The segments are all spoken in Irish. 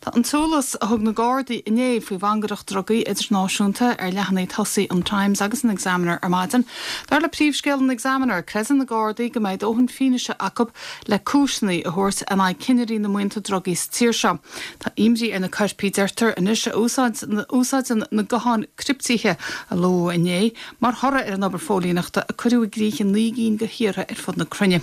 Tá an t-eolas a thug na Gardaí inné faoi mhangaireacht drugaí idirnáisiúnta ar leathanaigh tosaigh an Times agus an Examiner ar maidin. Dar le príomhscéal an Examiner, creideann na Gardaí go mbeidh dóthain fianaise acu le cúiseanna a thabhairt in aghaidh cinnirí na mbuíonta drugaí sa tír seo. Tá imní ar na coirpigh, deirtear anois, a úsáideann na gutháin criptithe a luadh inné mar thoradh ar an obair phóilíneachta a cuireadh i gcrích i 9 gcinn de thíortha ar fud na cruinne.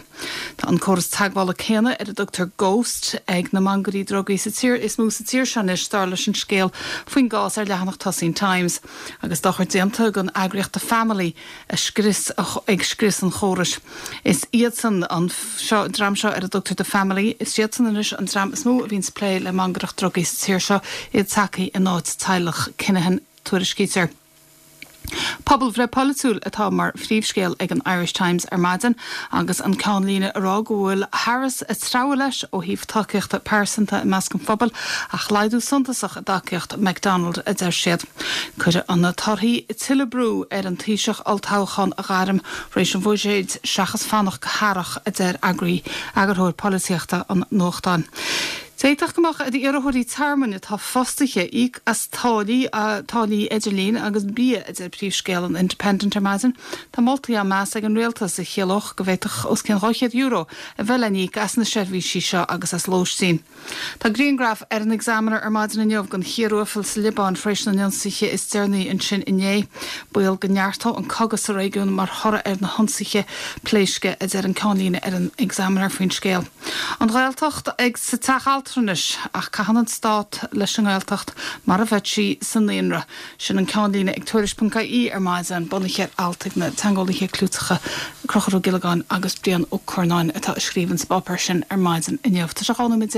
Tá an córas teagmhála céanna ar a dtugtar Ghost ag na mangairí drugaí sa tír is mó sa tír seo anois, dar leis an scéal faoin gcás ar leathanach tosaigh an Times. Agus dochar déanta don eagraíocht The Family a scrios ag scrios an chórais. Is iadsan, an seo, dream seo ar a dtugtar The Family, is iadsan anois an dream is mó a bhíonns ag plé le mangaireacht drugaí sa tír seo, iad tagtha in áit teaghlach Kinahan, tuairiscítear. Pobalbhreith pholaitiúil atá mar phríomhscéal ag an Irish Times ar maidin agus an ceannlíne ag rá go bhfuil Harris ag treabhadh leis ó thaobh tacaíochta pearsanta i measc an phobail ach laghdú suntasach i dtacaíocht McDonald, a deir siad. Cuirfidh na torthaí tuilleadh brú ar an Taoiseach olltoghchán a ghairm tar éis an bhuiséid seachas fanacht go hearrach, a deir eagarthóir polaitíochta an nuachtáin. D'fhéadfadh go mbeadh ar iarrthóirí tearmainn atá fostaithe íoc as táillí, táillí idirlín agus bia, a deir príomhscéal an Independent ar maidin. Tá moltaí á meas ag an rialtas a chiallódh go bhféadfadh os cionn €200 a bheith le n-íoc as na seirbhísí seo agus as lóistín. Tá grianghraf ar an Examiner ar maidin inniu den chíor uathmhail sa Liobáin tar éis na n-ionsaithe is deireanaí ansin inné. Baol go neartódh an cogadh sa réigiún mar thoradh ar na hionsaithe pléisce, a deir an ceannlíne ar an Examiner faoin scéal. An Ghaeltacht ag sa teach altranais ach caitheann an Stát leis an nGaeltacht mar a bheadh sí sa naíonra. Sin an ceannlíne ag Tuairisc.ie ar maidin, bunaithe ar alt ag na teangeolaithe clúiteacha Conchúr Ó Giollagáin agus Brian Ó Curnáin atá ag scríobh sa bpáipéar sin ar maidin inniu. Tá sé 12 nóiméad.